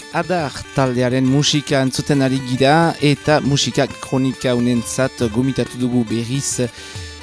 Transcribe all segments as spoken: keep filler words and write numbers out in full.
Adar taldearen musika entzuten ari gira eta musika kronika unentzat gomitatu dugu berriz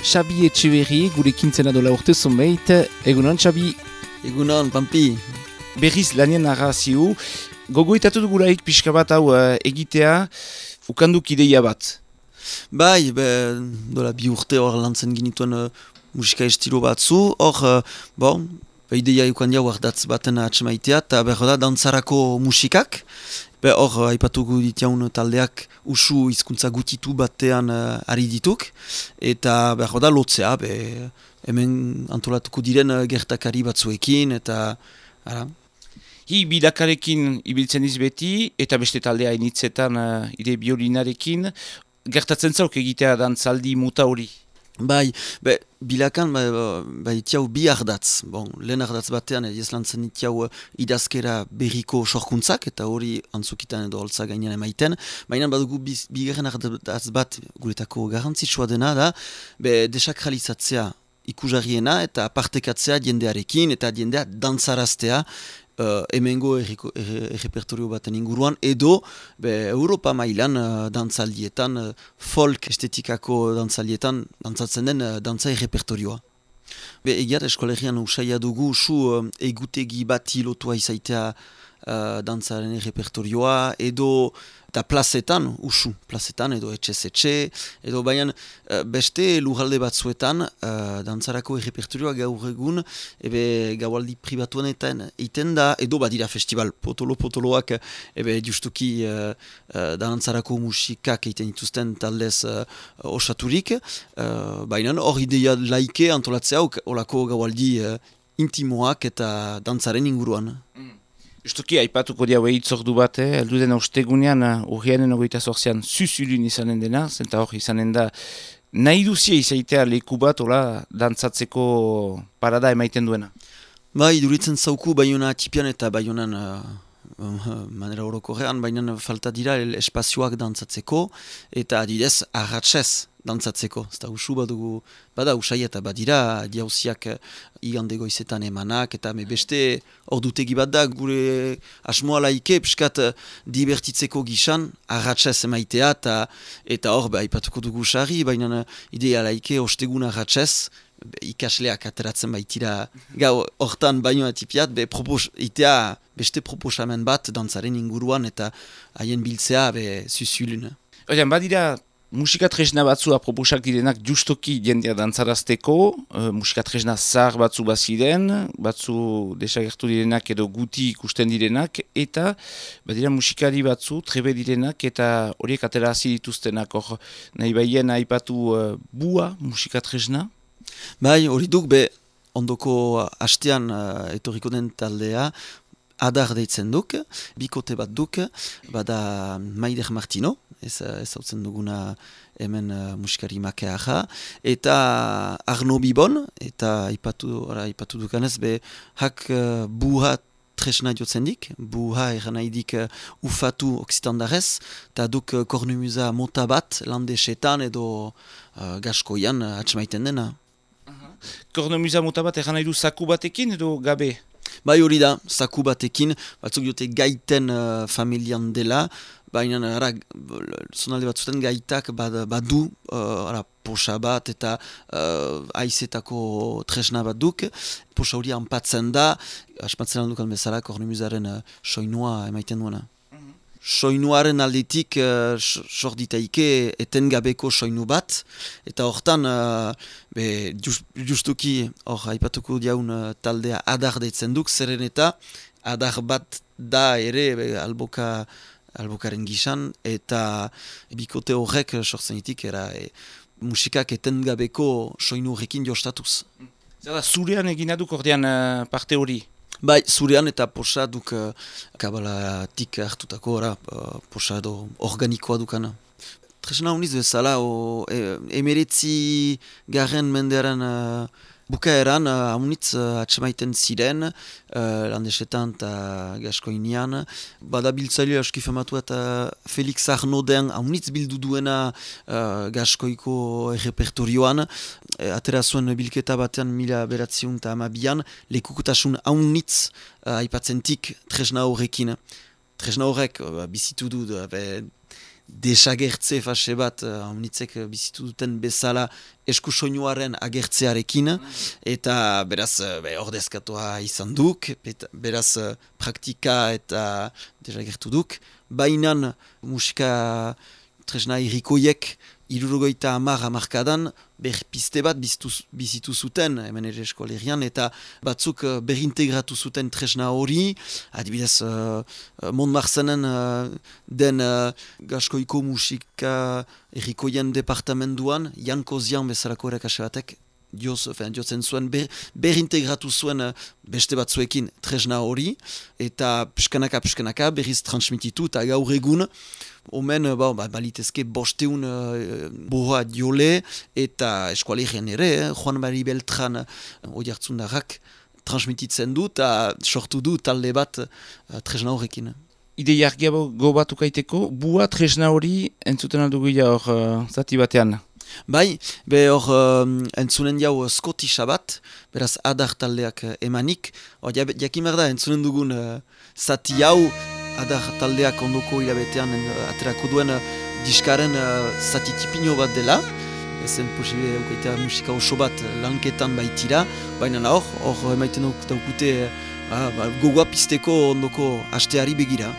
Xabi Etxeberri, gurekin zena dola urte zunbeit. Egunon, Xabi? Egunon, Pampi. Berriz lanien narrazio. Gogoitatu dugulaik pixka bat hau uh, egitea, ukanduk ideia bat. Bai, be, dola bi urte hor lantzen ginituen uh, musika estilo batzu, hor, uh, bon, be, ideia eukandia huardatz baten atsemaitea, eta behar da, dantzarako musikak. Be, hor, uh, aipatuko ditiaun taldeak usu hizkuntza gutitu batean uh, ari dituk, eta behar da, lotzea, be, hemen antolatuko diren uh, gertakari batzuekin, eta, ara. Hi bidakarekin ibiltzen izbeti, eta beste taldea initzetan uh, ire biolinarekin, gertatzen zauk egitea dantzaldi muta hori? Bai, be, bilakan bai, bai tiau bi ardatz. Bon, lehen ardatz batean ez lantzen tiau idazkera berriko sorkuntzak, eta hori antzukitan edo holtza gainean emaiten. Baina badugu bigarren ardatz bat guretako garrantzitsua dena da, be, desakralizatzea ikusarriena eta partekatzea jendearekin eta jendea dantzaraztea, Uh, hemengo errepertorio baten inguruan, edo be, Europa mailan uh, dantzaldietan, uh, folk estetikako dantzaldietan, dantzatzen den uh, dantza errepertorioa. Be, egiat eskolegian usaia dugu usu uh, egutegi bat hilotua izaitea uh, dantzaren errepertorioa, edo eta plazetan, usu, plazetan, edo etxez etxe, edo baina uh, beste lurralde batzuetan, uh, dantzarako errepertorioa gaur egun, ebe gaualdi pribatuanetan egiten da, edo badira festival potolo-potoloak, ebe justuki uh, uh, dantzarako musikak egiten dituzten taldez uh, osaturik, uh, baina hor ideia laike antolatzea olako gaualdi uh, intimoak eta dantzaren inguruan. Mm. Justuki, aipatuko diau ehitzordu bat, eh? Eldu den ostegunean, urrianen ogoita zortzean, zuzulun izanen dena, zenta hor izanen da, nahi duzia izaitea leku bat, ola, dantzatzeko parada emaiten duena. Bai, duritzen zauku baiona atipian eta baionan uh, uh, manera orokorrean, baina falta dira espazioak dantzatzeko, eta adidez, arratsez dantzatzeko. Zta usu badugu, bada usai eta badira diauziak igande goizetan emanak, eta me beste ordutegi bat da gure asmoa laike, piskat divertitzeko gisan, arratsez emaitea, eta, eta hor, ba, ipatuko dugu usari, baina idea laike ostegun arratsez, ikasleak ateratzen baitira gau hortan baino atipiat, be propos, itea beste proposamen bat dantzaren inguruan eta haien biltzea be zuzulun. Oian, badira musika tresna batzu aproposak direnak justoki jendea dantzarazteko, uh, musika tresna zahar batzu baziren, batzu desagertu direnak edo guti ikusten direnak, eta badira musikari batzu trebe direnak eta horiek aterazi dituztenak, hor nahi baien aipatu uh, bua musika tresna. Bai, hori duk, be, ondoko hastean uh, etorriko den taldea, adar deitzen duk, bikote bat duk, bada Maider Martino, ez hautzen duguna hemen uh, musikari makeaja, eta Arno Bibon, eta ipatu, ara, ipatu dukanez, be, hak uh, buha tresna jotzen dik, buha eran nahi dik uh, ufatu oksitandarez, eta duk uh, kornumuza mota bat, landesetan edo uh, gaskoian uh, atxemaiten dena. Kornomuza mota bat eran nahi du zaku batekin edo gabe? Bai hori da, zaku batekin, batzuk dute gaiten uh, familian dela, baina ara, zonalde batzuten gaitak bad, badu uh, ara, posa bat eta uh, aizetako tresna bat duk, posa hori anpatzen da, asmatzen aldukan bezala kornemuzaren uh, soinua emaiten duena. Soinuaren aldetik uh, sorditaike etengabeko soinu bat, eta hortan uh, be, just, justuki hor aipatuko diaun uh, taldea adar deitzen duk, zeren eta adar bat da ere be, alboka, albokaren gisan, eta bikote horrek sortzen ditik, era e, musikak etengabeko soinu horrekin jostatuz. Zara, zurean egina duk ordean uh, parte hori? Bai, zurean eta posa duk uh, kabalatik hartutako ora, uh, posa edo organikoa dukana. Tresna honiz bezala, o, e, emeretzi garren mendearen uh, bukaeran, uh, haunitz uh, atxemaiten ziren, uh, landesetan eta gaskoinian. Bada biltzaile aski famatu eta Felix Arnoden haunitz bildu duena uh, gaskoiko errepertorioan. E, atera zuen bilketa batean mila beratziun eta amabian, lekukutasun haunitz uh, aipatzentik tresna horrekin. tresna horrek uh, bizitu du, uh, be, desagertze fase bat, haunitzek uh, bizitu duten bezala eskusoinuaren agertzearekin, eta beraz be, ordezkatua izan duk, eta beraz praktika eta desagertu duk, bainan musika tresna irrikoiek irurogeita hamar hamarkadan berpiste bat bizitu, bizitu zuten hemen ere eskolerian, eta batzuk uh, berintegratu zuten tresna hori, adibidez uh, Montmarzenen uh, den uh, gaskoiko musika errikoien departamenduan, Jan Kozian bezalako erakase batek, dioz, fen, diotzen zuen, ber, berintegratu zuen uh, beste batzuekin tresna hori, eta pskanaka pskanaka berriz transmititu, eta gaur egun, omen, ba, ba, balitezke bosteun uh, boha diole, eta eskualerien ere, eh, Juan Mari Beltran uh, oiartzundarrak transmititzen du, eta sortu du talde bat uh, tresna horrekin. Ideia argiago batukaiteko, bua tresna hori entzuten aldugu hor uh, zati batean? Bai, be hor um, entzunen jau skotisa bat, beraz adar taldeak uh, emanik, hor jakin behar da entzunen dugun uh, zati hau, adar taldeak ondoko hilabetean uh, aterako duen uh, diskaren uh, zati tipino bat dela, ezen posible eukaitea musika oso bat lanketan baitira, baina hor, hor emaiten daukute uh, ba, gogoa pizteko ondoko hasteari begira.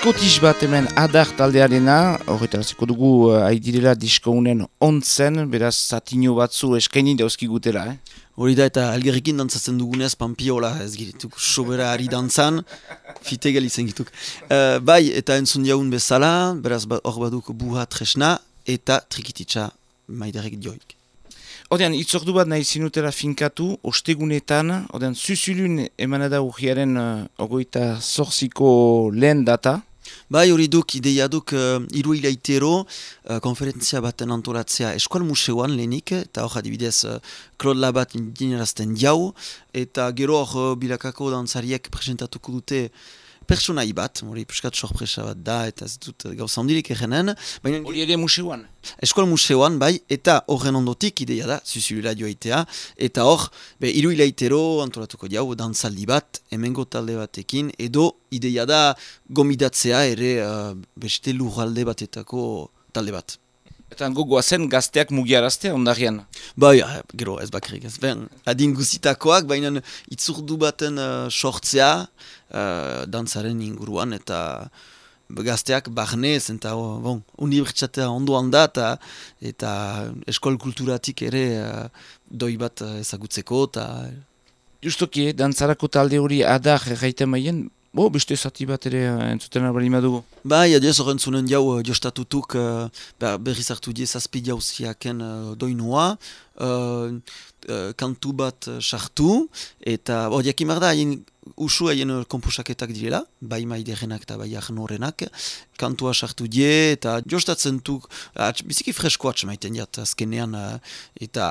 Skotish bat hemen adar taldearena, horretaraziko dugu uh, aidirela diskounen ontzen, beraz zatino batzu eskaini dauzkigutela, eh? Hori da eta algerrekin dantzatzen dugunez pampiola ez girituk sobera ari dantzan, fitegal izan gituk. Uh, bai, eta entzun jaun bezala, beraz hor baduk buha tresna eta trikititsa maiderek dioik. Odean, itzordu bat nahi zinutela finkatu, ostegunetan, odean, zuzulun emanada urriaren uh, ogoita zorziko lehen data. Bai, hori duk, ideia duk uh, iru hilaitero uh, konferentzia baten antolatzea eskual museoan lehenik, eta hor adibidez uh, Claude Labat indinerazten jau, eta gero hor uh, bilakako dantzariek presentatuko dute personai bat, hori puskat sorpresa bat da, eta ez dut gauza handirik egenen. Hori ere museoan? Eskual museoan, bai, eta horren ondotik ideia da, zuzulera joaitea, eta hor, be, iru hilaitero antolatuko jau, dantzaldi bat, hemengo talde batekin, edo ideia da gomidatzea ere uh, beste lurralde batetako talde bat. Eta gogoa zen gazteak mugiaraztea ondarian? Bai, gero ez bakarrik ez. Ben, adin guzitakoak, baina itzurdu baten uh, sortzea uh, dantzaren inguruan, eta gazteak barnez, eta oh, bon, unibertsitatea ondoan da, eta, eta eskol kulturatik ere uh, doi bat uh, ezagutzeko. Ta... Justoki, dantzarako talde hori adar erraiten maien, bo, beste zati bat ere entzuten albali madugu. Bai, adiez horren zunen jau jostatutuk uh, berriz hartu die zazpi jauziaken uh, doinua, uh, uh, kantu bat sartu, eta hor jakimar da, haien usu haien komposaketak direla, bai maiderenak eta bai ahnorenak, kantua sartu die, eta jostatzen tuk, atx, biziki fresko atx maiten diat azkenean, uh, eta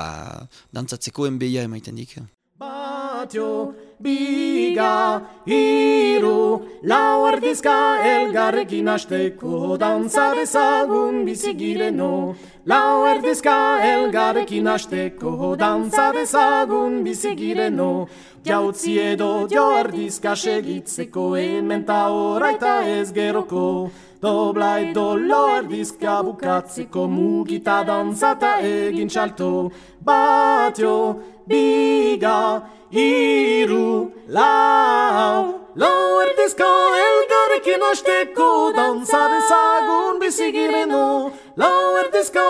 dantzatzeko enbeia emaiten dik. Batio, biga, iru, lau erdizka elgarrekin hasteko dantza dezagun bizigireno. Lau erdizka elgarrekin hasteko dantza dezagun bizigireno. Jautzi edo jo erdizka segitzeko hemen ta oraita ez geroko. Dobla edo lo erdizka bukatzeko mugita dantzata egin txalto. Batio, biga, iru, lau, lau erdizka elgarrekin hasteko dantza dezagun bizigireno. Lau erdizka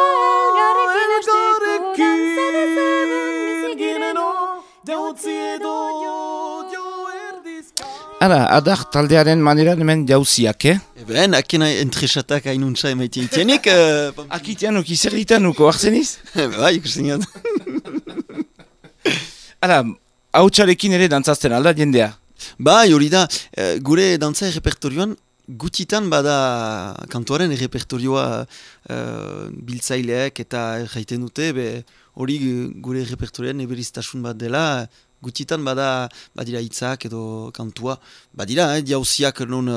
elgarrekin bizigireno. Jautzi edo jo erdizka. Hala, adar taldearen maneran hemen jauziak, eh? Eben, akena entresatak hainuntza emaiten itienik. Uh, Akitianuk, izerritanuko, arzeniz? Bai, ikusten gant. Hala, hautsarekin ere dantzazten alda jendea? Bai, hori da, eh, gure dantza repertorioan gutitan bada kantuaren repertorioa uh, biltzaileak eta jaiten dute, be, hori gure repertorioan eberiztasun bat dela, gutitan bada badira hitzak edo kantua, badira, eh, jauziak non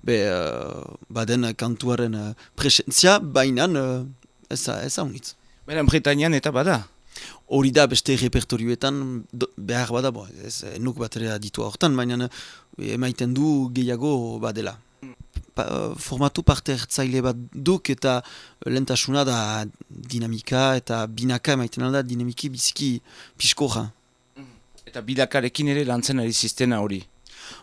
be, uh, baden kantuaren uh, presentzia, bainan uh, ez da honitz. Baina Bretañan eta bada? Hori da beste repertorioetan do, behar bada, bo, ez nuk batera ditua hortan, baina emaiten du gehiago badela. Pa, formatu parte hartzaile bat duk eta lehentasuna da dinamika eta binaka emaiten alda dinamiki biziki piskoja. Eta bilakarekin ere lantzen ari ziztena hori?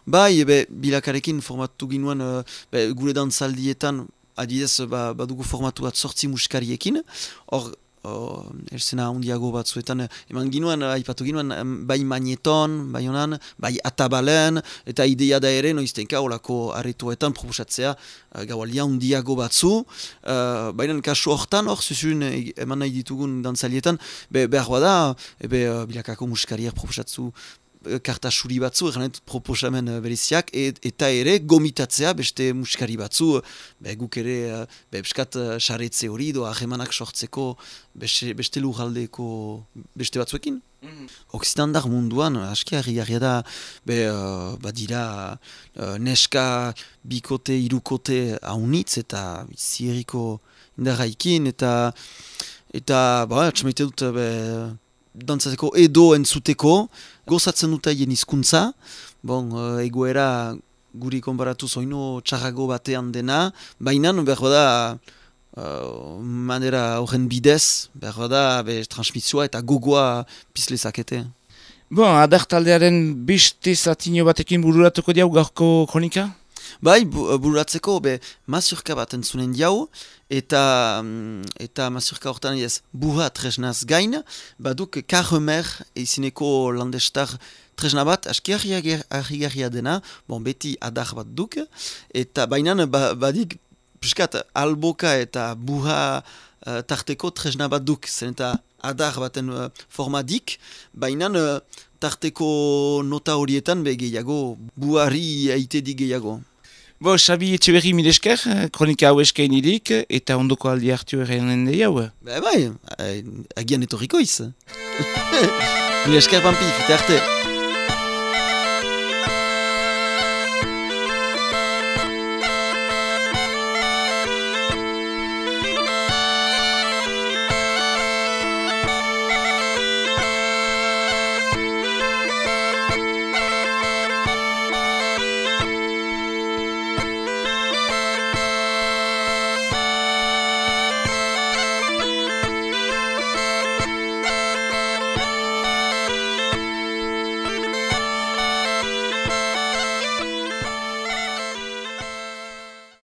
Bai, ebe, bilakarekin formatu ginuen uh, be, gure dantzaldietan adidez ba, badugu formatu bat sortzi muskariekin, hor Uh, erzena handiago batzuetan eman ginuen, aipatu ginuen, bai magneton, bai honan, bai atabalen, eta idea da ere noiztenka olako aretoetan proposatzea uh, gaualdia handiago batzu, uh, baina kasu hortan, hor zuzun eman nahi ditugun dantzalietan, be, behar bada, ebe uh, bilakako muskariak proposatzu karta suri batzu, eranet proposamen bereziak, et, eta ere gomitatzea beste muskari batzu, be, guk ere be, beskat saretze hori, doa ahemanak sortzeko beste, beste lujaldeko beste batzuekin. Mm. Okzitandar munduan, aski harri da, be, uh, badira uh, neska bikote, irukote haunitz, eta zieriko indarraikin, eta eta, ba, atxamaite dut, be, dantzateko edo entzuteko, gozatzen dut haien hizkuntza, bon, egoera guri konbaratu zoino txarrago batean dena, baina behar bada uh, manera horren bidez, behar bada be, transmisioa eta gogoa pizlezakete. Bon, adar taldearen beste zatino batekin bururatuko diau gaurko kronika? Bai, bu, bururatzeko, be, mazurka bat entzunen diau, eta, eta mazurka hortan ez buha tresnaz gain, baduk Karremer izineko landestar tresna bat, aski argi-garria dena, bon, beti adar bat duk, eta bainan ba, badik, piskat, alboka eta buha uh, tarteko tresna bat duk, zen eta adar baten uh, formadik, bainan uh, tarteko nota horietan be gehiago, buhari aite di gehiago. Bo, Xabi Etxeberri milesker, kronika hau eskain irik, eta ondoko aldi hartu errean dei hau? Ba, bai, agian etorriko iz. Milesker, Pampi, fite arte.